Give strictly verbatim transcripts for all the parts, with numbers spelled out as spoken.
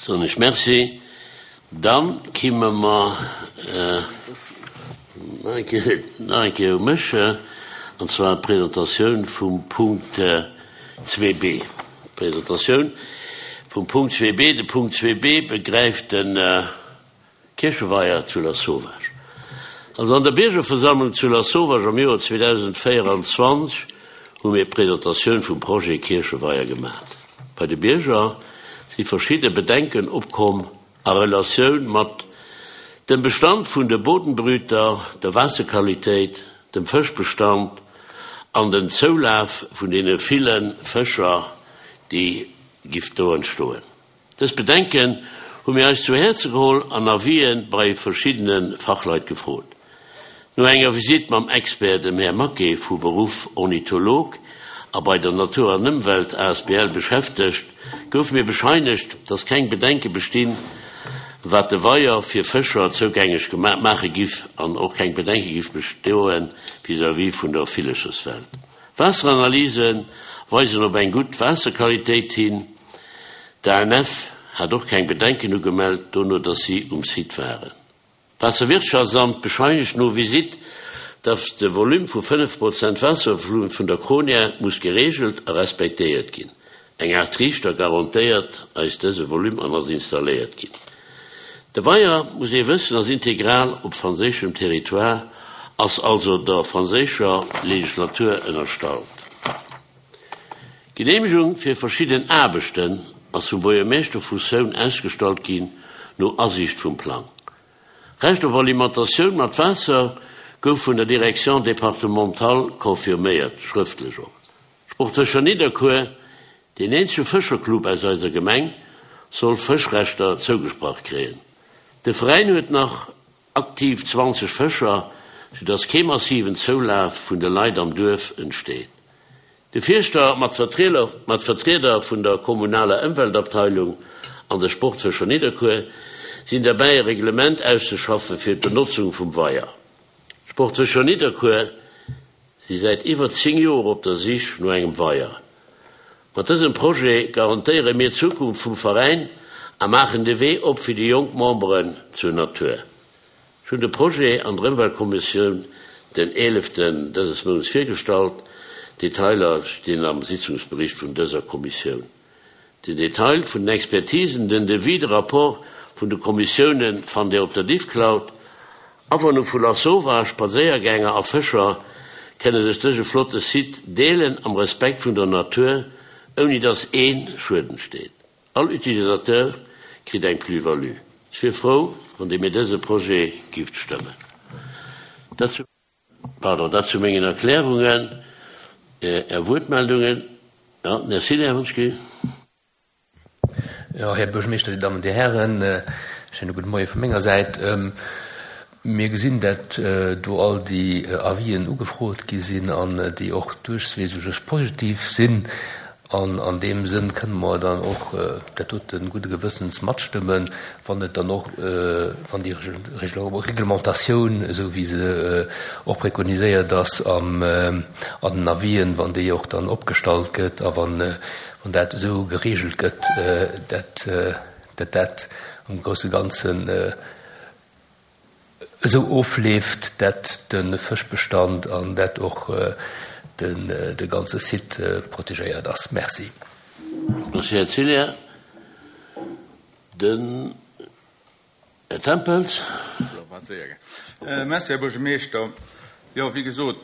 Soen ech Merci. Dann kimme mer nach eng Kéier, nach eng Kéier u mech, an zwar d'Presentatioun vum Punkt zwee B. D'Presentatioun vum Punkt zwee B. De Punkt zwee B begräift de Kiercheweier zu Lasauvage. Also an der Biergerversammlung zu Lasauvage am Joer zweedausendvéieranzwanzeg hu mir d'Presentatioun vum Projet Kiercheweier gemaat. Bei de Bierger si verschidde Bedenken opkomm a Relatioun mat dem Bestand vun de Bodenbrüter, der Waasserqualitéit, dem Fëschbestand an den Zoulaf vun deene ville Fëscher, déi giff do entstoen. Dës Bedenken hu mir eis zu Häerze geholl an Avisë bei verschiddene Fachleit gefrot. No enger Visitt mam Expert, dem Här Maquet, vu Beruff Ornitholog a bei der Natur an Ëmwelt A S B L beschäftegt, gouf mir bescheinegt, dass keng Bedenke bestinn, wat de Weier fir Fëscher zougänglech maache giff an och keng Bedenke giff bestoen vis-à-vis vun der Villecherswelt. Waasseranalyse weisen op eng gutt Waasserqualitéit hin. D'A N F hat och keng Bedenken ugemellt, dono dass si um Site waren. D'Waasserwirtschaftsamt bescheinegt no Visitt, dass de Volume vu fënnef Prozent Waasservolume vun der Kronia muss gereegelt a respektéiert ginn. Eng Aart Triichter garantéiert eis dëse Volume an ass installéiert ginn. De Weier, muss ee wëssen, ass integral op franséischem Territoire, ass also der franséischer Legislatur ënnerstallt. D'Geneemegung fir verschidden Aarbechten ass vum Buergermeeschter vu Saône ausgestallt ginn no Asiicht vum Plang. Recht op Alimentatioun mat Waasser gouf vun der Direction départementale confirméiert, schrëftlech och. Sportfëscher Nidderkuer, deen eenzege Fëscherclub aus eiser Gemeng, soll Fëschrechter zougesprach kréien. De Veräin huet nach aktiv zwanzeg Fëscher, soudass kee massiven Zoulaf vun de Leit am Duerf entsteet. De Fierschter mat Vertrieder, mat Vertrieder vun der kommunaler Ëmweltabteilung an de Sportfëscher Nidderkuer sinn derbäi, e Reglement auszeschaffe fir d'Benotzung vum Weier. Sportfëscher Nidderkuer si säit iwwer zéng Joer op der Sich no engem Weier. Mat dësem Projet garantéiere mir d'Zukunft vum Veräin a maachen de Wee op fir déi jonk Memberen zur Natur. Ech hunn de Projet an der Ëmweltkommissioun den eeleften dëses Mounts virgestallt. Detailer stinn am Sitzungsbericht vun dëser Kommissioun. Den Detail vun den Expertisen, den Devis, de Rapport vun de Kommissiounen fannt Dir op der Diffcloud. Awunner vu Lasauvage, Spadséiergänger a Fëscher kënne sech dëse flotte Site deelen am Respekt vun der Natur, ouni dass ee Schued entsteet. All Utilisateur kritt eng Plus-value. Ech wier frou, wann Dir mir dëse Projet gifft stëmmen. Dat zu, pardon, dat zu mengen Erklärungen. Är Wuertmeldungen. Ja, merci, Här Wonschke. Ja, Här Buergermeeschter, Dir Dammen, Dir Hären, schéine gudde Moie vu menger Säit. Mir gesinn, dat do all déi Avisen ugefrot gi sinn an déi och duerchwegs positiv sinn. An an deem Sënn kënne mer dann och dat dote gudde Gewëssens matstëmmen, wann et dann och, wann déi Reglementatioun, esou wéi se och prekoniséiert ass am an den Avisen, wann déi och dann opgestallt gëtt a wann wann dat esou gereegelt gëtt, dat dat dat am grousse Ganzen esou ofleeft, dat de Fëschbestand an dat och den de ganze Site protegéiert ass. Merci. Merci, Här Cilier. Den Här Tempels. Merci, Här Buergermeeschter. Jo, wéi gesot,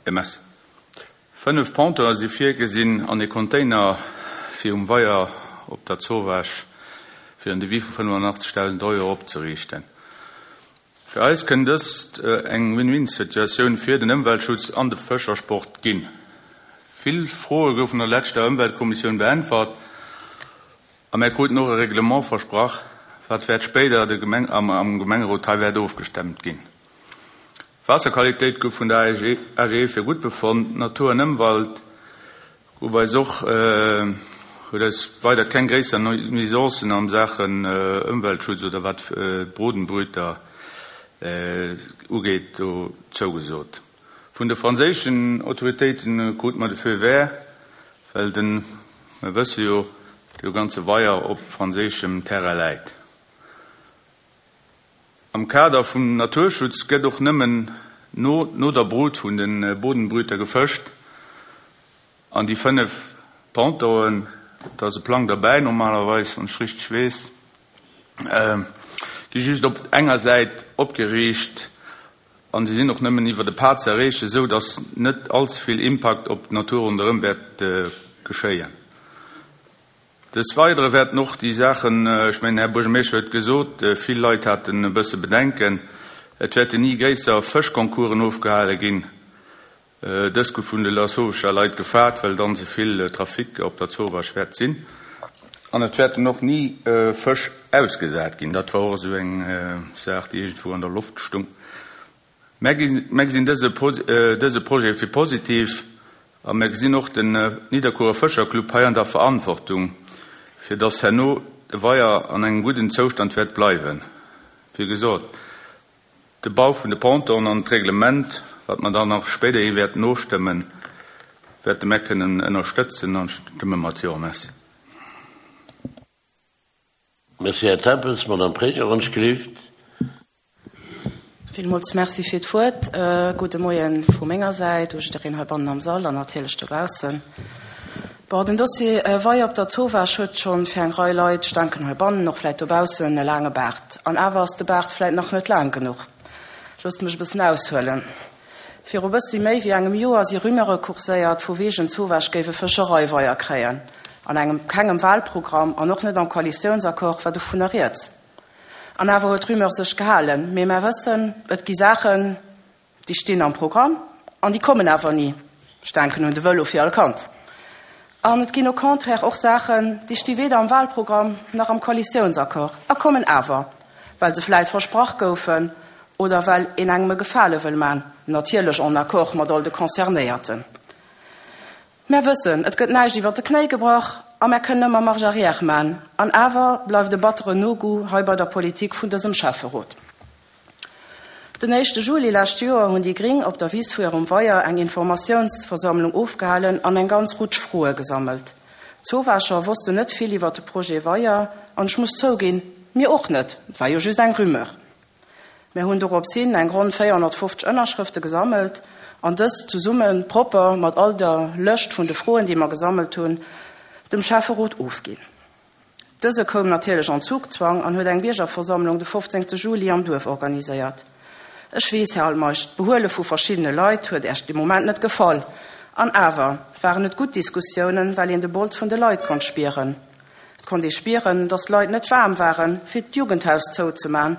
M S. Fënnef Pontonen si virgesinn an e Container fir um Weier op der Zowaasch fir en Devis vu fënnefanachtzeghdausend Euro opzeriichten. Fir eis kënnt dëst eng Win-Win-Situatioun fir den Ëmweltschutz an de Fëschersport ginn. Vill Froe goufen an der leschter Ëmweltkommissioun beäntwert a mir kruten och e Reglement versprach, wat wäert spéider de Gemeng, am, am Gemengerot hei wäert ofgestemmt ginn. Waasserqualitéit gouf vun der A G E fir gutt befonnt, Natur an Ëmwelt gouf eis och äh, huet eis weider keng gréisser Nuisancen am Saachen äh, Ëmweltschutz oder wat äh, Bodenbrüter äh, ugeet do zougesot. Vun de franséischen Autoritéiten krute mer de Feu vert, well den, mir wësse jo, de ganze Weier op franséischem Terrain läit. Am Kader vum Naturschutz gëtt och nëmmen no no der Brut vun de Bodenbrüter gefëscht an déi fënnef Pontonen, da ass e Plang derbäi normalerweis, wann ech richteg weess, gi just op enger Säit opgeriicht an se sinn och nëmmen iwwer de Pad ze erreechen, esou datt net all ze vill Impakt op d'Natur ronderëm wäert geschéien. Des Weidere wäerten och déi Saachen, ech mengen, Här Buergermeeschter huet et gesot, vill Leit haten e bësse Bedenken, et wäerten ni gréisser Fëschconcoursen ofgehale ginn. Dës gouf vun de Lasauvescher Leit gefaart, well dann ze vill Trafic op der Zowaasch wäert sinn. An et wäerten och ni Fësch ausgesat ginn. Dat war och esou eng Saach, déi iergendwou an der Loft stung. Mär gesinn dëse Projet fir positiv a mär gesinn och den Nidderkuerer Fëscherclub hei an der Verantwortung, fir dass herno de Weier an engem gudden Zoustand wäert bleiwen. Wéi gesot, de Bau vun de Pontonen an d'Reglement, wat mer dann nach spéiderhi wäerten ofstëmmen, wäerte mär kënnen ënnerstëtzen an stëmme mat Jo. Merci. Merci, Här Tempels. Madame Pregno, wann ech gelift. Villmools Merci fir d'Wuert. Gudde Moie vu menger Säit u jiddereen heibannen am Sall an natierlech dobaussen. Bon, den Dossier Weier op der Zowaasch huet schonn fir eng Rei Leit, ech denken heibannen, och vläit dobaussen, e laange Baart. An awer ass de Baart vläit nach net laang genuch. Loosst mech e bëssen aushuelen. Viru bëssi méi wéi engem Joer si Rumeure kurséiert, vu wegen d'Zowaasch géif e Fëschereiweier kréien. An engem kengem Wahlprogramm an och net am Koalitiounsaccord war dovunner rieds. An awer huet d'Rumeur sech gehalen. Mee mär wëssen, et gi Saachen, déi stinn am Programm an déi kommen awer ni. Ech denken un de Vëlo fir all Kand. An et ginn au contraire och Saachen, déi sti weder am Wahlprogramm nach am Koalitiounsaccord a kommen awer, well se vläit versprach goufen oder well een engem e Gefale wëll man, natierlech en accord mat all de Concernéierten. Mär wëssen, et gëtt näischt iwwert de Knéi gebrach a mär kënnen ëmmer Marche arrière man. An awer bleift e batteren Nogoût hei bei der Politik vun dësem Schäfferot. Den éischte Juli lescht Joer hunn déi Gring op der Wiss vu hirem Weier eng Informatiounsversammlung ofgehalen an eng ganz Rutsch Froe gesammelt. D'Zowaacher wossten net vill iwwer de Projet Weier an ech muss zouginn, mir och net, et war jo just eng Rumeur. Mir hunn dorops hin eng ronn véierhonnertfofzeg Ënnerschrëfte gesammelt an dës zesumme propper mat all der Lëscht vun de Froen, déi mer gesammelt hunn, dem Schäfferot ofginn. Dëse koum natierlech en Zugzwang an huet eng Biergerversammlung de fofzéngte Juli am Duerf organiséiert. Ech weess, Här Altmeisch, d'Behuele vu verschiddene Leit huet Äech dee Moment net gefall. An awer waren et gutt Diskussiounen, well een de Bols vun de Leit konnt spieren. Et konnt ee spieren, datt d'Leit net waarm waren, fir d'Jugendhaus zouzeman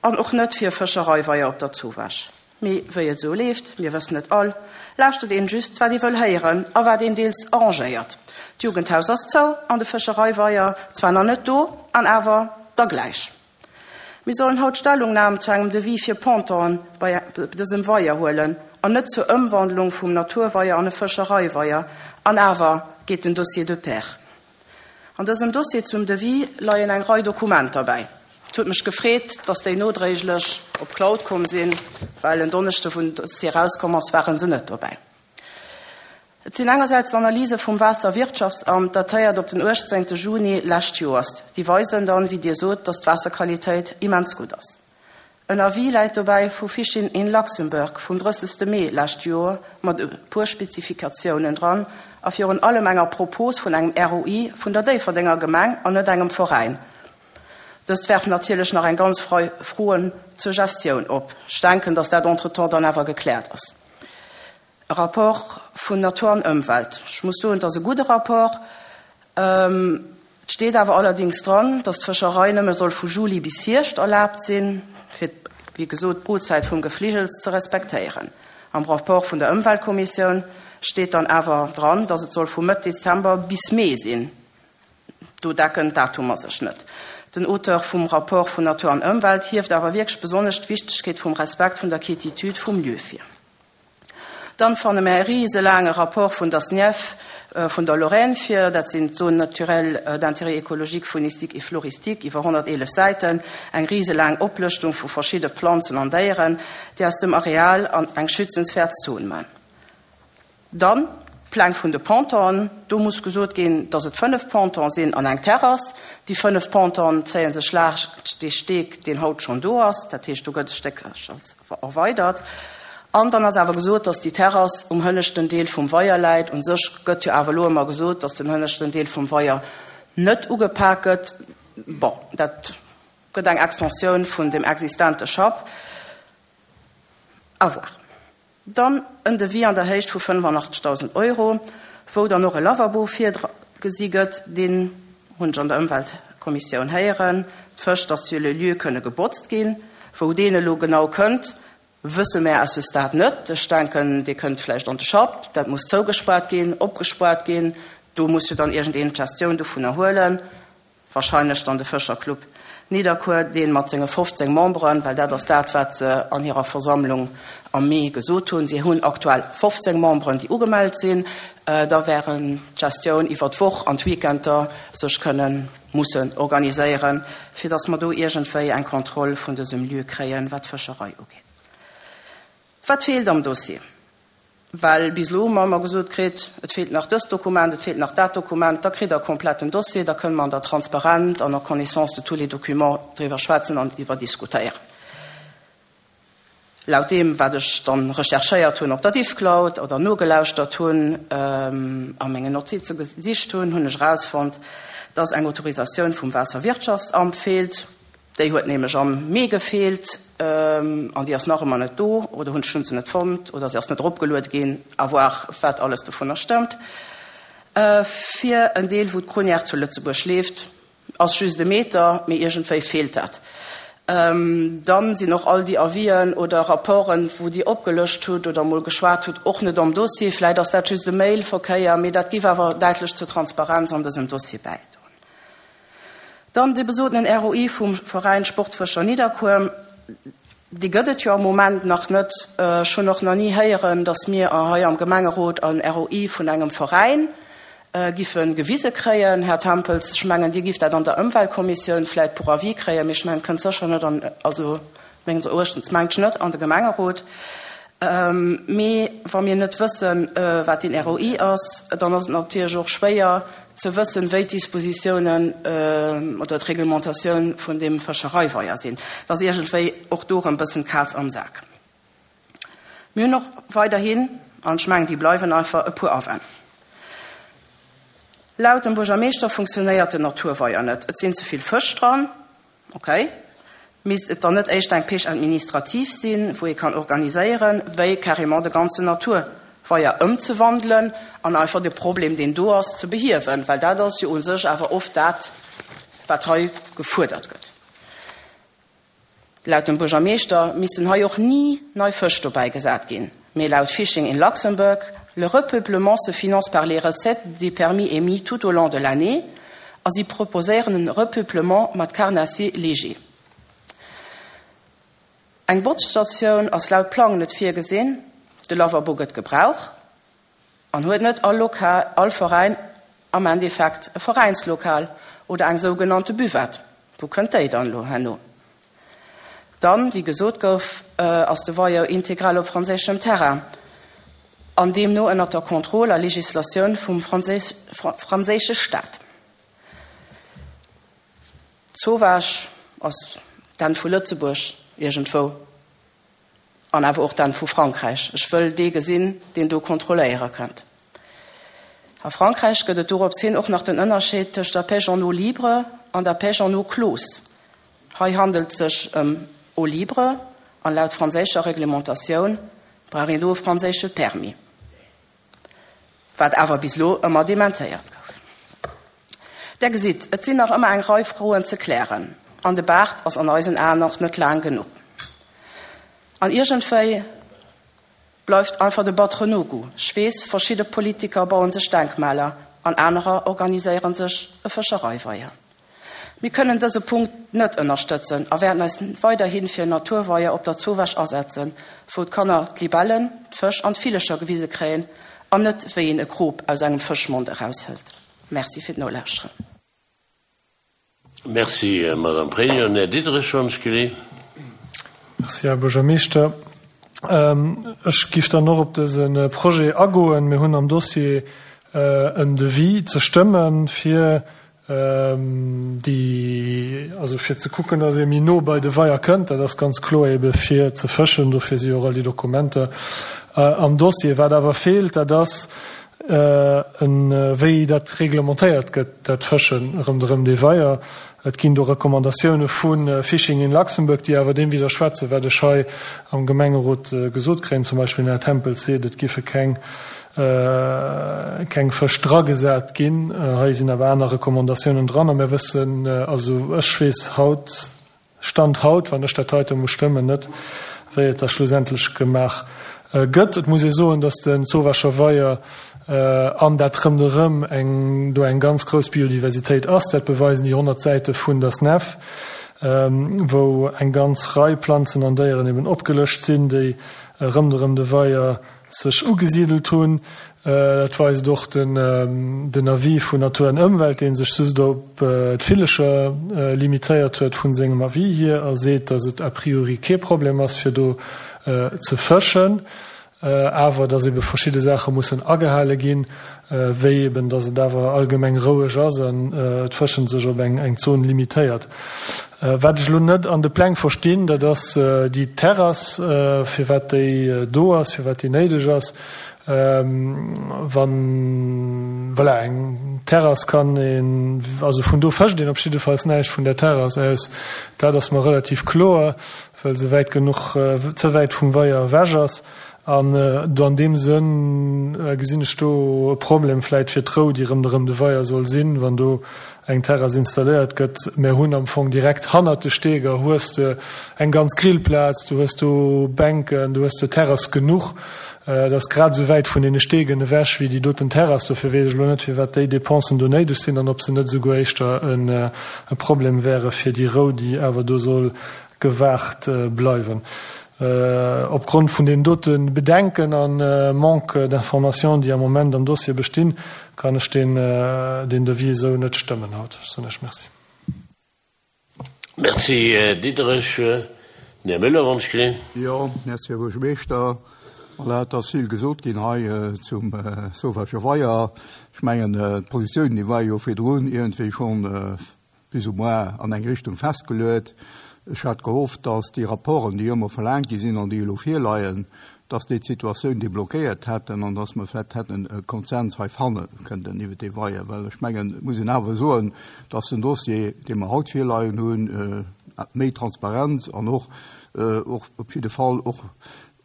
an och net fir e Fëschereiweier op der Zowaasch. Mee wéi et esou leeft, mir wëssen et all, lauschtert een just, wat ee wëll héieren a wat een deels arrangéiert. D'Jugendhaus ass zou an de Fëschereiweier zwar nach net do, an awer da gläich. Mir sollen haut Stellungnam zu engem Devis fir Pontonen bei dësem Weier huelen an net zur Ëmwandlung vum Naturweier an e Fëschereiweier. An awer geet den Dossier de pair. An dësem Dossier zum Devis leien eng Rei Dokumenter bäi. Et huet mech gefreet, dass déi nodréiglech op d'Cloud komm sinn, well en Donneschde wou den Dossier erauskomm ass, ware se net dobäi. Et sinn engersäits d'Analyse vum Waasserwirtschaftsamt, datéiert op den uechtzéngte Juni lescht Joers. Déi weisen dann, wéi Dir sot, dass d'Waasserqualitéit immens gutt ass. En Avis läit dobäi vu Fishing in Luxembourg vum drëssegste Mee lescht Joer mat e puer Spezifikatiounen dran a virun allem enger Propos vun engem R O I vun der Déifferdenger Gemeng an net engem Veräin. Dëst werft natierlech nach eng ganz Rei Froen zur Gestioun op. Ech denken, dass dat entretemps dann awer gekläert ass. E Rapport vun Natur an Ëmwelt. Ech muss soen, et ass e gudde Rapport. Et steet awer allerdings dran, dass d'Fëscherei nëmme soll vu Juli bis Hierscht erlaabt sinn, fir, wéi gesot, d'Brutzäit vum Gefligels ze respektéieren. Am Rapport vun der Ëmweltkommissioun steet dann awer dran, dass et soll vu Mëtt Dezember bis Mee sinn. Do decken d'Datumer sech net. Den Auteur vum Rapport vun Natur an Ëmwelt hieft awer wierklech besonnesch d'Wichtegkeet vum Respekt vun der Quiétitude vum Lieu vir. Dann fanne mer e riselaange Rapport vun der SNIEF vun der Lorraine vir, dat sinn d'Zones naturelles d'intérêt écologique, faunistique et floristique, iwwer honnerteelef Säiten, eng riselaang Oplëschtung vu verschidde Planzen an Déieren, déi aus dem Areal an eng schützenswäert Zon man. Dann D'Pläng vun de Pontonen, do muss gesot ginn, dass et fënnef Pontonen sinn an eng Terrass. Déi fënnef Pontonen zéie sech laanscht dee Steg, deen haut schonn do ass. Dat heescht, do gëtt e Stéckerchen erweidert. An dann ass awer gesot, dass déi Terrass um hënneschten Deel vum Weier läit. U sech gëtt jo awer elo ëmmer gesot, dass den hënneschten Deel vum Weier net ugepak gëtt. Bon, dat gëtt eng Extensioun vun dem existente Schapp. À voir. Dann en Devis an der Héicht vu fënnefanachtezigdausend Euro, wou dann och e Lavabo virgesi gëtt. Deen hunn ech an der Ëmweltkommissioun héieren, d'Fësch, dass sur le lieu kënne gebotzt ginn. Wou deen elo genau kënnt, wësse mär à ce stade net. Ech denken, dee kënnt vläicht an de Schapp. Dat muss zougespaart ginn, opgespaart ginn. Do muss jo dann iergendeen d'Gestioun dovunner huelen. Wahrscheinlech dann de Fëscherclub Nidderkuer, dee mat senge fofzéng Memberen, well dat ass dat, wat se an hirer Versammlung am Mee gesot hunn, si hunn aktuell fofzéng Memberen, déi ugemellt sinn, da wären d'Gestioun iwwer d'Woch an d'Weekender sech kënnen mussen organiséieren, fir datt mer do iergendwéi eng Kontroll vun dësem Lieu kréien, wat d'Fëscherei ugeet. Wat feelt am Dossier? Well bis elo hu mer ëmmer gesot kritt, et feelt nach dëst Dokument, et feelt nach dat Dokument. Da kritt Der e kompletten Dossier, da kënne mer an der Transparent an en connaissance de tous les documents driwwer schwätzen an driwwer diskutéieren. Laut deem, wat ech dann recherchéiert hunn op der Diffcloud oder nogelauschtert hunn, a mengen Notize gesicht hunn, hunn ech erausfonnt, dass eng Autorisatioun vum Waasserwirtschaftsamt feelt. Déi huet nämlech am Mee gefeelt an déi ass nach ëmmer net do, oder hunn ech hunn se net fonnt oder se ass net eropgeluede ginn, à voir wat alles dovunner stëmmt. Fir en Deel wou d'Cronière zu Lëtzebuerg leeft, ass just e Meter, mee iergendwéi feelt dat. Dann sinn och all déi Avisen oder Rapporten, wou Dir opgelëscht hutt oder emol geschwat hutt, och net am Dossier. Vläit ass dat just e Mailverkéier, mee dat giff awer däitlech zur Transparenz an dësem Dossier bäidroen. Dann dee besotenen R O I vum Veräin Sportfëscher Nidderkuer, dee gëtt et jo am Moment nach net. Ech hunn och nach ni héieren, datt mir hei am Gemengerot en R O I vun engem Veräin giffe gewise kréien. Här Tempels, ech mengen, Dir gifft dat an der Ëmweltkommissioun vläicht pour avis kréien, mee ech mengen, et kënnt sécher net an, also menges Erachtens mengt ech net an de Gemengerot. Mee wa mir net wëssen, wat deen R O I ass, dann ass et natierlech och schwéier ze wëssen, wéi d'Dispositiounen oder d'Reglementatioun vun deem Fëschereiweier sinn. Dat ass iergendwéi och do erëm e bëssen d'Kaz am Sak. Mir hunn och weiderhin, an ech mengen, déi bleiwen einfach, e puer Awänn. Laut dem Buergermeeschter funktionéiert den Naturweier net, et sinn ze vill Fësch dran. Ok. Misst et dann net éischter eng Pêche administrative sinn, wou ee kann organiséieren, wéi carrément de ganzen Naturweier ëmzewandelen an einfach de Problem, deen do ass, ze behiewen? Well dat ass jo u sech awer oft dat, wat hei gefuerdert gëtt. Laut dem Buergermeeschter missten hei och ni nei Fësch dobäi gesat ginn. Mee laut Fishing in Luxembourg, le repeuplement se finance par les recettes des permis émis tout au long de l'année a si proposéieren e Repeuplement mat Carnassiers légers. Eng Botzstatioun ass laut Plang net virgesinn, de Lavabo gëtt gebrauch an huet net all Lokal, all Veräin am Endeffekt e Veräinslokal oder eng sougenannte Buvette? Wou kënnt déi dann elo herno? Dann, wéi gesot gouf, ass de Weier integral op franséischem Terrain an deemno ënnert der Kontroll a Legislatioun vum franséische Staat. D'Zowaasch ass d'Enn vu Lëtzebuerg iergendwou an awer och d'Enn vu Frankräich. Ech wëll dee gesinn, deen do kontrolléiere kënnt. A Frankräich gëtt et dorops hin och nach den Ënnerscheed tëscht der Pêche en eau libre an der Pêche en eau close. Hei handelt et sech ëm eau libre an laut franséischer Reglementatioun brauch een do e franséische Permis, wat awer bis elo ëmmer dementéiert gouf. Der gesitt, et sinn nach ëmmer eng Rei Froen ze klären an de Baart ass an eisen Aen nach net laang genuch. An iergendwéi bleift einfach de batteren Nogoût. Ech weess, verschidde Politiker bauen sech Denkmaler an anerer organiséieren sech e Fëschereiweier. Mir kënnen dëse Punkt net ënnerstëtzen a wäerten eis weiderhi fir en Naturweier op der Zowaasch asetzen, wou d'Kanner d'Libellen, d'Fësch an d'Villecher gewise kréien an net wéi een e Krop aus engem Fëschmond eraushëlt. Merci fir d'Nolauschteren. Merci, Madame Pregno. Här Diderich, wann ech geleeën. Merci, Här Buergermeeschter. Ech giff dann och op dëse Projet agoen. Mir hunn am Dossier en Devis ze stëmmen, fir déi, also fir ze kucken, datt ee méi no bei de Weier kënnt. Dat ass ganz kloer ebe fir ze fëschen. Dofir si och all déi Dokumenter am Dossier. Wat awer feelt, dat ass en, wéi dat reglementéiert gëtt, dat Fëschen ronderëm dee Weier. Et ginn do Recommandatioune vu Fishing in Luxembourg, déi awer deem widderschwätzen, wat ech hei am Gemengerot gesot kréien. Zum Beispill den Här Tempels seet, et giffe keng keng Fësch dragesat ginn. Hei sinn awer aner Recommandatiounen dran a mir wëssen, also ech weess haut, Stand haut, wann ech dat heite muss stëmmen, net, wéi et da schlussendlech gemaach gëtt. Et muss ee soen, datt de Zowaacher Weier an dat ronderëm eng do eng ganz grouss Biodiversitéit ass. Dat beweisen déi honnert Säite vun der SNEF, wou eng ganz Rei Planzen an Déieren eben opgelëscht sinn, déi ronderëm de Weier sech ugesidelt hunn. Dat weist och den Avis vun Natur an Ëmwelt, dee sech just op d'Villecher limitéiert huet vun sengem Avis hier a seet, datt et a priori kee Problem ass, fir do ze fëschen, awer datt ebe verschidde Saache mussen agehale ginn, wéi eben, datt et awer allgemeng roueg ass an d'Fëschen sech op eng Zon limitéiert. Wat ech elo net an de Pläng verstinn, dat ass déi Terrass, firwat déi do ass, firwat déi néideg ass. Wann, voilà, eng Terrass kann een, also vun do fëscht een op jiddefalls näischt vun där Terrass aus, dat ass mer relativ kloer, well se wäit genuch, ze wäit vum Weier ewech ass. An do an deem Sënn gesinn ech do e Problem vläit fir d'Rou, déi ronderëm de Weier soll sinn, wann do eng Terrass installéiert gëtt. Mär hunn am Fong direkt hannert de Steeger hues de eng ganz Grillplaz, du hues do Bänken, du hues de Terrass genuch. Et ass grad esou wäit vun deene Steegen ewech wéi déi doten Terrass. Dofir weess ech elo net, firwat déi Dépensen do néideg sinn an ob se net esouguer éischter e Problem wäre fir déi Rou, déi awer do soll gewahrt bleiwen. Opgrond vun deenen dote Bedenken a Manque d'information, déi am Moment am Dossier bestinn, kann ech deen Devis esou net stëmmen haut. Ech soen Iech Merci. Merci, Här Diderich. Den Här Müller, wann ech gesinn. Jo, merci, Här Buergermeeschter. Voilà, et ass vill gesot ginn hei zum Sauvage Weier. Ech mengen, d'Positioun, déi war jo virdrun iergendwéi schonn plus ou moins an eng Richtung festgeluet. Ech hat gehofft, dass déi Rapporten, déi ëmmer verlaangt gi sinn an déi elo virleien, dass déi d'Situatioun deblockéiert hätten an dass mer vläicht hätten e Konsens hei fanne kënnten iwwert dee Weier. Well ech mengen, et muss een awer soen, dass den Dossier, dee mer haut virleien hunn, méi Transparenz an och, och op jidde Fall och,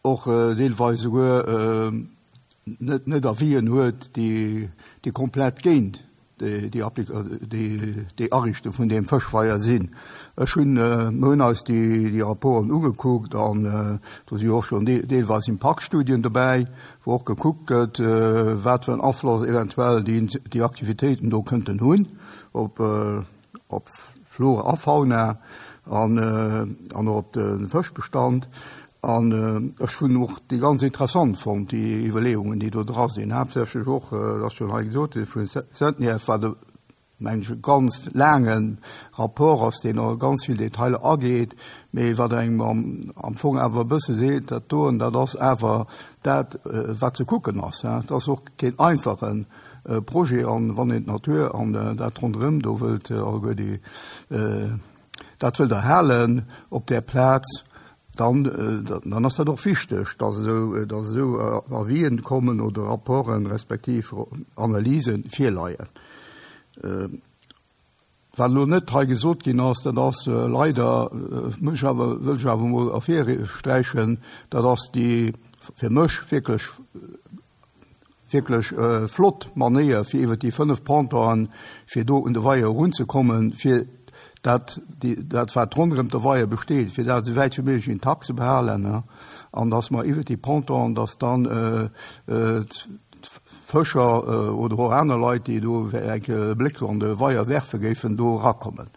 och deelweis esouguer net, net Avisen huet, déi, déi komplett géint déi déi Ariichtung vun deem Fëschweier sinn. Ech hunn, mir hunn eis déi déi Rapporten ugekuckt an do si jo och schonn deelweis Impaktstudien dobäi, wou och gekuckt gëtt, wat fir en Afloss eventuell déi déi Aktivitéiten do kënnten hunn op op Flora a Fauna an an och op de Fëschbestand. An ech hunn och déi ganz interessant fonnt, déi Iwwerleeungen, déi do dra sinn, haaptsächlech och, et ass schonn hei gesot ginn, vun Sentniev, wat e, mengen ech, e ganz laange Rapport ass, deen och a ganz vill Detailer ageet, mee wat engem am Fong awer e bësse seet, dat doen, dat ass awer dat, wat ze kucken ass. Et ass och keen einfache Projet. An wann een d'Natur an dat ronderëm do wëllt alleguer déi, dat wëllt erhalen op där Plaz, dann, dann ass dat och wichteg, dass esou, dass esou Avisen kommen oder Rapporten respektiv Analyse virleien. Wat elo net hei gesot ginn ass, dat ass leider, muss ech awer, wëll ech awer emol ervirsträichen, dat ass déi fir mech wierklech, wierklech flott Manéier, fir iwwert déi fënnef Pontonen, fir do un de Weier erunzekommen, fir dat, déi, dat wat ronderëm de Weier besteet, fir dat esou wäit wéi méiglech intakt ze behalen, an dass mer iwwert déi Pontonen, dass dann d'Fëscher oder och aner Leit, déi do eng Kéier e Bléck an de Weier werfe géifen, do erakommen.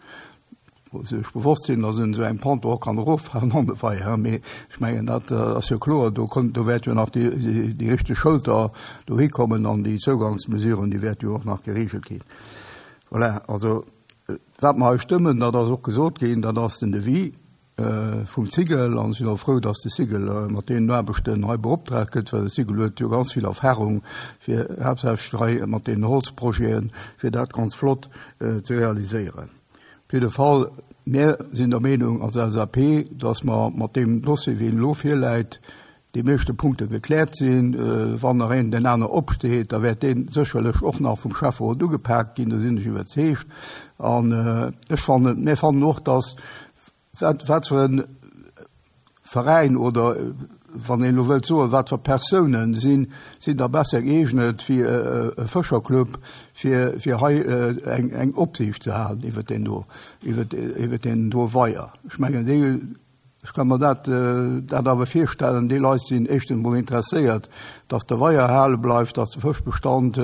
Wou se sech bewosst sinn, dass een esou eng Ponton och kann eroffalen an de Weier, mee ech mengen, dat ass jo kloer, do kommt, do wäert jo nach déi, déi richteg Schëlter dohi kommen an déi Zougangsmesuren, déi wäerte jo och nach geregelt ginn. Voilà, also wat mer hei stëmmen, dat ass och gesot ginn, dat ass den Devis. vum Cigl an sinn och frou, dass de Cigl mat deenen Aarbechten hei beoptraagt gëtt, well de Cigl huet jo ganz vill Erfahrung fir haaptsächlech hei mat deenen Holzprojeten, fir dat ganz flott ze realiséieren. Op jidde Fall, mir sinn der Meenung als L S A P, dass mer mat deem Dossier, wéi en elo virläit, déi meeschte Punkte gekläert sinn. Wann nach een den aner opsteet, da wäert dee sécherlech och nach vum Schäfferot ugepaakt ginn, do sinn ech iwwerzeegt. An ech fannen, mir fannen och, dass wat, wat fir e Veräin oder wann een elo wëllt soen, wat fir Persounen sinn, sinn da besser gëeegnet wéi e Fëscherclub, fir, fir hei eng, eng Opsiicht ze halen iwwer deen do, iwwer, iwwer deen do Weier. Ech mengen, déi, ech ka mer dat, dat awer virstellen, déi Leit sinn éischtens emol interesséiert, dass de Weier erhale bleift, dass de Fëschbestand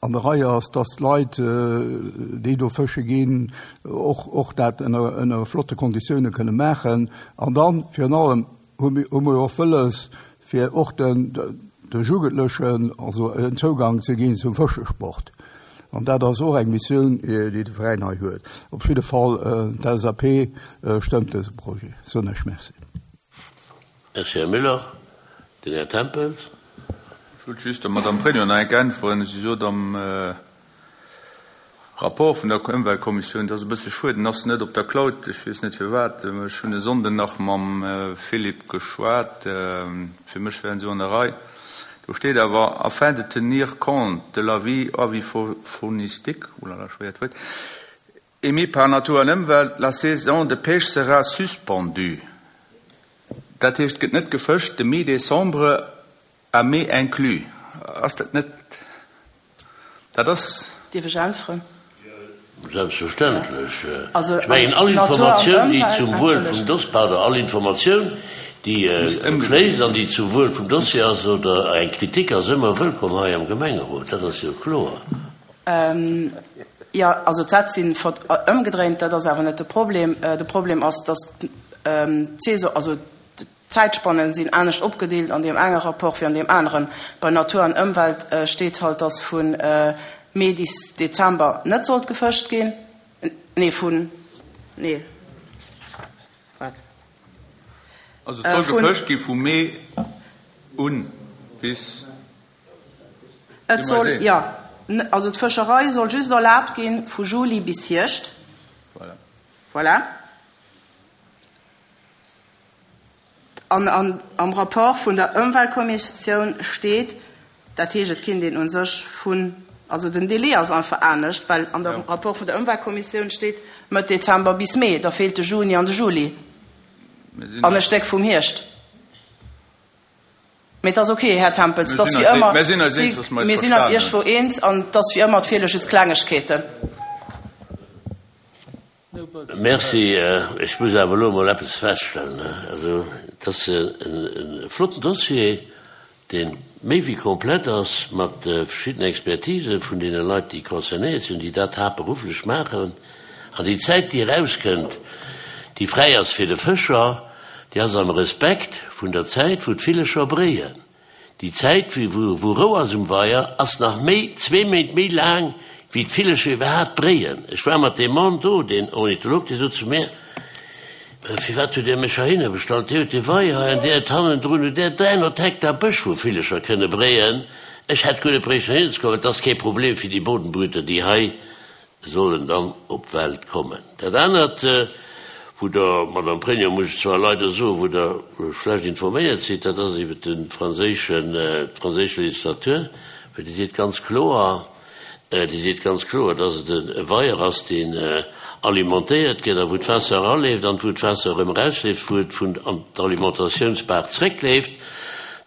an der Rei ass, dass d'Leit, déi do fësche ginn, och, och dat ënner, ënner flotte Konditioune kënne maachen. An dann, virun allem, hu mir, hu mir och wëlles, fir och den, de Jugendlechen also en Zougang ze ginn zum Fëschesport. An dat ass och eng Missioun, déi de Veräin hei huet. Op jidde Fall, d'L S A P stëmmt dëse Projet. Soen ech Merci. Merci, Här Müller. Den Här Tempels. Ech wollt just der Madame Pregno nach eng Kéier äntweren. Si sot am Rapport vun der Ëmweltkommissioun, dat ass e bësse schued, en ass net op der Cloud, ech weess net firwat. Ech hunn e Sonnden nach mam Philippe geschwat, fir mech wären se an der Rei. Do steet awer, afin de tenir compte de l'avis avifaunistique, oulala, schwéiert Wuert, émis par Natur an Ëmwelt, la saison de pêche sera suspendue. Dat heescht, et gëtt net gefëscht de mi-décembre à mai inclus. Ass dat net, dat ass. Dierf ech äntweren? Selbstverständlech. Ech mengen, all Informatioun, déi zum Wuel vum Dossier, pardon, all Informatioun, déi fléisst an déi zum Wuel vum Dossier ass oder eng Kritik ass ëmmer wëllkomm hei am Gemengerot. Dat ass jo kloer. Jo, also d'Sätz sinn ëmgedréint, dat ass awer net de Problem. De Problem ass, dass d'Saison, also d'Zäitspannen sinn anescht opgedeelt an deem enge Rapport wéi an deem aneren. Bei Natur an Ëmwelt steet halt, dass vu Mee bis Dezember net sollt gefëscht ginn. Nee, vun, nee, wat? Also et soll gefëscht gi vu Mee un bis. Et soll, jo, also d'Fëscherei soll just erlaabt ginn vu Juli bis Hierscht. Voilà. Voilà. An am Rapport vun der Ëmweltkommissioun steet, dat heescht, et kinnt een u sech vun, also den Délai ass einfach anescht, well an dem Rapport vun der Ëmweltkommissioun steet Mëtt Dezember bis Mee, da feelt de Juni an de Juli an e Stéck vum Hierscht. Mee et ass ok, Här Tempels, et ass wéi ëmmer, mir sinn eis iergendwou eens an et ass wéi ëmmer, et feele just Klengegkeeten. Merci. Ech muss awer elo emol eppes feststellen. Also, et ass e flotten Dossier, dee méi wéi komplett ass mat verschiddenen Expertise vun deene Leit, déi concernéiert sinn, déi dat haaptberufflech maachen. An déi Zäit, déi erauskënnt, déi fräi ass fir de Fëscher, déi ass am Respekt vun der Zäit, wou d'Villecher bréien. Déi Zäit, wou Rou ass um Weier, ass nach méi, zwee Méint méi laang, wéi d'Villecher iwwerhaapt bréien. Ech war mat deem Mann do, deen Ornitholog, dee sot zu mir, Firwat hutt Dir mech heihinner bestallt? Dir hutt dee Weier hei an Dir hutt hannendrun hutt Där dräihonnert Hektar Bësch, wou Villecher kënne bréien. Ech hätt guer net bréichten heihinner ze kommen. Et ass kee Problem fir déi Bodenbrüter, déi hei sollen dann op d'Welt kommen. Dat anert, wou Der, Madame Pregno, muss ech zwar leider soen, wou Der schlecht informéiert sidd, dat ass iwwert de franséischen, d'franséisch Législatur, well déi seet ganz kloer, déi seet ganz kloer, dass et e Weier ass, deen alimentéiert gëtt a wou d'Waasser eraleeft an wou d'Waasser erëm erausleeft, wou et vun an d'Alimentatiounsbaach zréckleeft,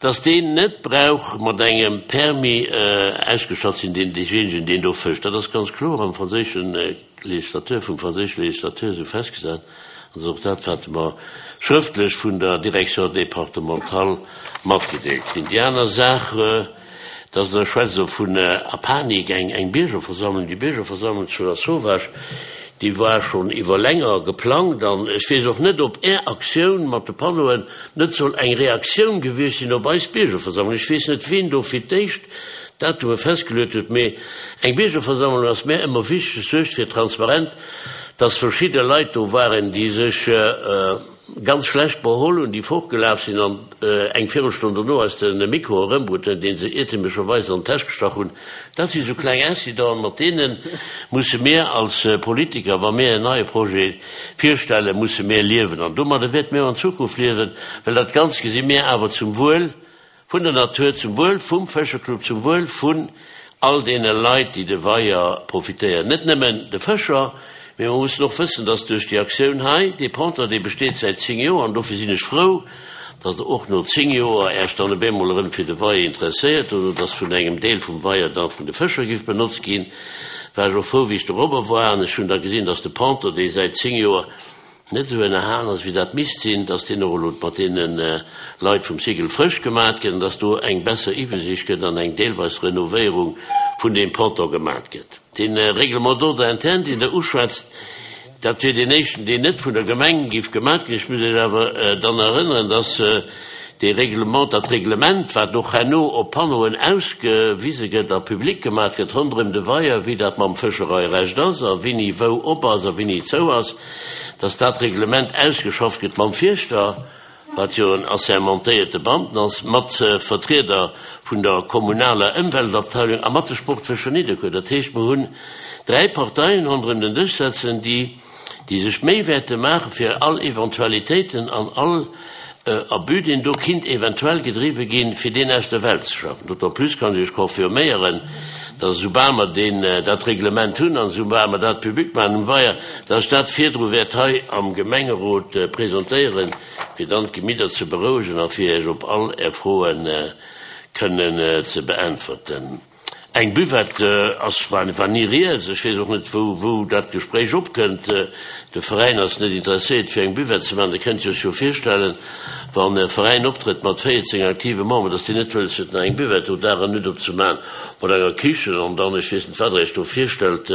dass deen net brauch mat engem Permis ausgestatt sinn, deen deejéinegen, deen do fëscht. Dat ass ganz kloer am franséische Législateur, vum franséische Législateur esou festgesat. An dat ass och dat, wat mer schrëftlech vun der Direction départementale matgedeelt kinn. Déi aner Saach, dass Der schwätzt elo vun a Panik, eng, eng Biergerversammlung, déi Biergerversammlung zu Lasauvage, déi war schonn iwwer länger geplangt an ech weess och net, ob Är Aktioun mat de Panneauen net soll eng Reaktioun gewiescht sinn op eis Biergerversammlung. Ech weess net, ween do fir d'éischt Datume festgeluet hutt. Mee eng Biergerversammlung ass mär ëmmer wichteg, suergt fir Transparent, dass verschidde Leit do waren, déi sech ganz schlecht beholl hunn, déi fortgelaf sinn an eng Virelstonn dono eis de Mikro erëmbrutt hunn, dee se iertemlecherweis an d'Täsch gestach hunn. Dat si sou kleng Incidenten, mat deene musse mir als Politiker, wa mir en neie Projet virstellen, musse mir liewen. An domadder wäerte mir och an Zukunft liewen, well dat Ganzt gesi mir awer zum Wuel vun der Natur, zum Wuel vum Fëscherclub, zum Wuel vun all deene Leit, déi de Weier profitéieren, net nëmmen de Fëscher, mee mer mussen och wëssen, dass duerch déi Aktioun hei, dee Ponton, dee besteet säit zéng Joer, an dofir sinn ech frou, dass Der och no zéng Joer Äech dann op eemol erëm fir de Weier interesséiert oder dass vun engem Deel vum Weier da vun de Fëscher giff benotzt ginn, war ech och frou, wéi ech dorobber war an ech hunn da gesinn, dass de Ponton, dee säit zéng Joer net esou ënnerhalen ass, wéi dat misst sinn, dass deen och elo mat deene Leit vum Cycle frësch gemat gëtt an dass do eng besser Iwwesiicht gëtt an eng deelweis Renovéierung vun deem Ponton gemat gëtt. Dee Règlement d'ordre interne, deen Der uschwätzt, dat wier deen éischten, deen net vun der Gemeng géif gemat ginn. Ech muss Iech awer dann erënneren, dass dee Règlement, dat Reglement, wat och herno op Panneauen ausgewise gëtt a public gemat gëtt ronderëm de Weier, wéi dat mam Fëschereirecht ass a wéini wou op ass a wéini zou ass, dass dat Reglement ausgeschafft gëtt mam Fierschter, wat jo en assermentéierte Beamten ass, mat Vertrieder vun der kommunaler Ëmweltabteilung a mat de Sportfëscher Nidderkuer. Dat heescht, mer hunn dräi Parteien ronderëm den Dësch setzen, déi déi sech d'Méi wäerte maache fir all Eventualitéiten an all Abus, deen do kinnt eventuell gedriwwe ginn, fir deen aus der Welt ze schaffen. D'autant plus kann ech Iech confirméieren, dass esoubal mer deen, dat Reglement hunn an esoubal mer dat public maachen um Weier, dass ech dat virdru wäert hei am Gemengerot presentéieren, fir dann d'Gemidder ze berouegen a fir Iech op all Är Froe kënnen ze beäntwerten. Eng Buvette ass, war ni rieds. Ech weess och net, wou, wou dat Gespréich opkënnt. De Veräin ass net interesséiert, fir eng Buvette ze maachen. Der kënnt Iech jo virstellen, wann e Veräin optrëtt mat véierzéng aktive Memberen, dass deen net wëlles huet, nach eng Buvette do Dag an Nutt opzemaachen, mat enger Kichen an dann, ech weess net, wat Der Iech do virstellt,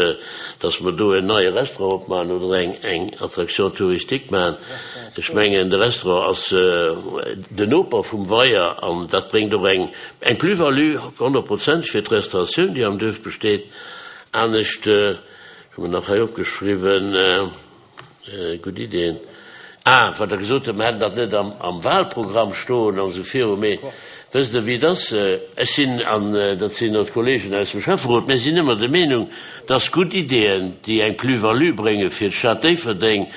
dass mer do en neie Restaurant opmaachen oder eng, eng Attraction touristique maachen. Ech mengen, de Restaurant ass den Noper vum Weier an dat bréngt och eng, Eng Plus-value, honnertprozenteg, fir d'Restauratioun, déi am Duerf besteet. Anescht, ech hu mer nach hei opgeschriwwen, gutt Iddien, ah, wat Der gesot hutt, mer hätten dat net am Wahlprogramm stoen an esou viru. Mee wësst Der, wéi et ass? Ech sinn, an dat sinn och d'Kollegen aus dem Schäfferot, mir sinn ëmmer der Meenung, dass gutt Iddien, déi eng Plus-value brénge fir d'Stad Déifferdeng,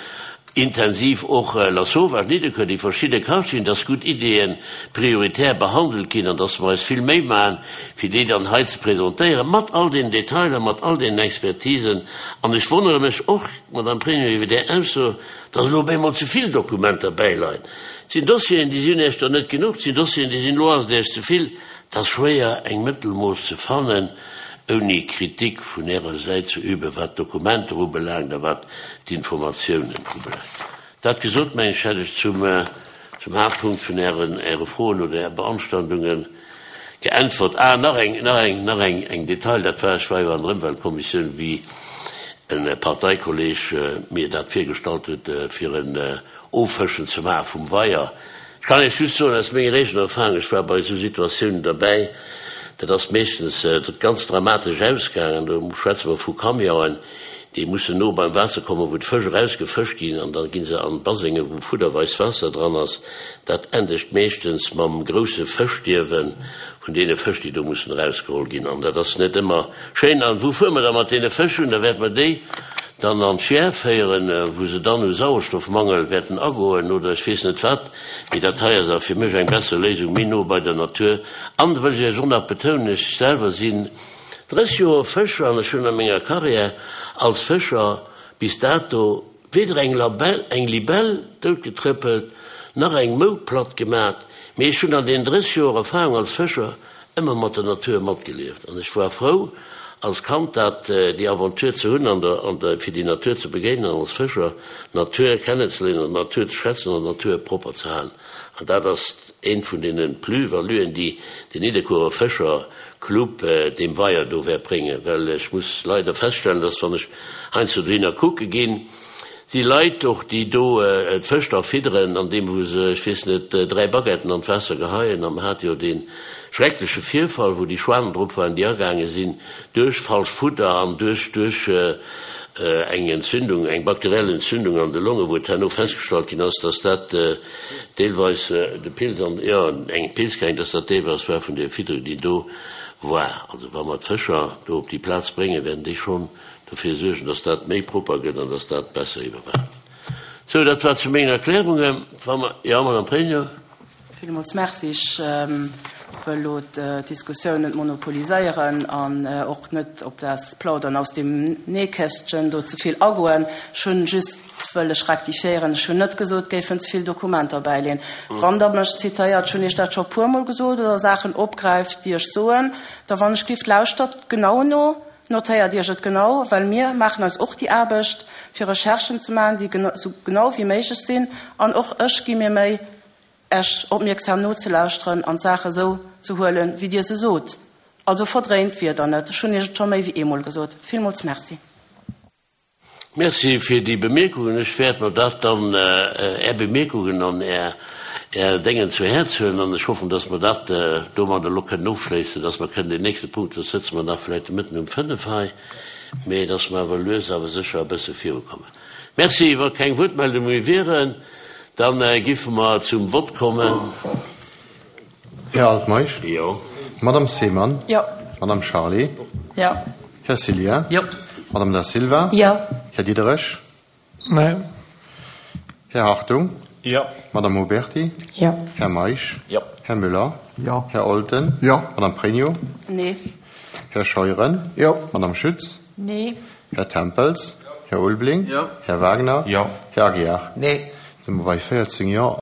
intensiv och Lasauvage, Nidderkuer, déi verschidde Quartieren, dass gutt Ideeë prioritär behandelt ginn an dass mer eis vill Méi maachen, fir déi dann hei ze presentéieren, mat all den Detailer, mat all deenen Expertisen. An ech wonnere mech och, Madame Pregno, iwwer Är Ausso, dass elo op eemol ze vill Dokumenter bäileien. Et sinn Dossieren, déi sinn Iech der net genuch, et sinn Dossieren, déi sinn, elo ass et Iech ze vill. Et ass schwéier, eng Mëttelmooss ze fannen. ouni Kritik vun Ärer Säit ze üben, wat d'Dokumenter ubelaangt a wat d'Informatiounen ubelaangt. Dat gesot, mengen ech, hätt ech zum, zum Haaptpunkt vun Ären, Äre Froen oder Är Beanstandunge geäntwert. Ah, nach eng, nach eng, nach eng, eng Detail, dat war, ech war jo an der Ëmweltkommissioun, wéi e Parteikolleg mir dat virgestallt huet, fir en Offëschen ze maache vum Weier. Ech kann Iech just soen, aus menger eegener Erfahrung, ech war bei esou Situatiounen derbäi, Dat ass meeschtens ganz dramatesch ausgaangen. Do schwätze mer vu Camionen, déi mussen no beim Waasser kommen, wou d'Fësch erausgefëscht ginn, an da gi se an Basengen, wou fudderweis Waasser dran ass. Dat endegt meeschtens mam grousse Fëschstierwe vun deene Fësch, déi do mussen erausgeholl ginn. An dat ass net ëmmer schéin. An wou fuere mer da mat deene Fësch hunn? Da wäerte mer déi dann an d'Schiär féieren, wou se dann u Sauerstoffmangel wäerten agoen oder ech weess net wat. Mee dat hei ass awer fir mech eng besser Léisung, méi no bei der Natur. An, wëll ech Iech och nach betounen, ech selwer sinn drësseg Joer Fëscher an ech hunn a menger Carrière als Fëscher bis dato weder eng Labell, eng Libell doutgetrëppelt, nach eng Mou platt gemat, mee ech hunn an deenen drësseg Joer Erfahrung als Fëscher ëmmer mat der Natur matgelieft an ech war frou, als Kand dat, déi Aventure ze hunn an der, an der, fir déi Natur ze begéinen an als Fëscher d'Natur kennenzeléieren an d'Natur ze schätzen an d'Natur propper ze halen. An dat ass eent vun deene Plus-valuen, déi den Nidderkuerer Fëscherclub deem Weier do wäert bréngen. Well ech muss leider feststellen, dass, wann ech heiansdo dohinner kucke ginn, Si Leit och, déi do d'Fësch da fidderen, andeem wou se, ech weess net, dräi Baguetten an d'Waasser geheien. A mer hate jo dee schreckleche Virfall, wou déi Schwanen drop waren, déi agaange sinn duerch falsch Fudder an duerch, duerch eng Entzündung, eng bakteriell Entzündung an de Longen, wou et herno festgestallt ginn ass, dass dat deelweis de Pilz an, jo, eng Pilzkrankheet, dass dat deelweis war vun där Fidderung, déi do war. Also wa mer d'Fëscher do op déi Plaz bréngen, wäerten déi schonn dofir suergen, dass dat méi propper gëtt an dass dat besser iwwerwaacht gëtt. Sou, dat war zu mengen Erklärungen. Wa mer, jo, Madame Pregno. Villmools Merci. Ech wëll elo d'Diskussioun net monopoliséieren an och net op das Plaudern aus dem Nähkästchen do ze vill agoen. Ech hunn just wëll ech rektifiéieren, ech hunn net gesot, et géifen ze vill Dokumenter bäileen. Wann Der mech zitéiert, ech hunn Iech dat scho puermol gesot, oder Saachen opgräift, déi ech soen, da wann ech gift, lauschtert genau no. Notéiert Iech et genau, well mir maachen eis och déi Aarbecht, fir Recherchen ze maachen, déi esou genau wéi méiglech sinn. An och ech gi mir Méi, Iech opmierksam nozelauschteren an d'Saache esou ze huelen, wéi Dir se sot. Also verdréint d'Wierder net. Ech hunn Iech et scho méi wéi eemol gesot. Villmools Merci. Merci fir déi Bemierkungen. Ech wäert mer dat dann, Är Bemierkungen an Är Déngen zu Häerz huelen an ech hoffen, dass mer dat domat elo kënnen ofschléissen, dass mer kënnen deen nächste Punkt, soss sëtze mer nach vläicht de Mëtten um fënnef hei, mä dass mer awer lues awer sécher e bësse virukommen. Merci. Wa keng Wuertmeldunge méi wieren, da giffe mer zum Vott kommen. Här Altmeisch? Jo. Madame Seemann? Jo. Madame Charlé? Jo. Här Cillien? Jo. Madame Da Silva? Jo. Här Diderich? Nee. Här Hartung? Jo. Madame Huberty? Jo. Här Meisch? Jo. Här Müller? Jo. Här Olten? Jo. Madame Pregno? Nee. Här Scheuren? Jo. Madame Schütz? Nee. Här Tempels? Här Ulveling? Jo. Här Wagner? Jo. Här Aguiar? Nee. Si mer bei véierzéng Jo.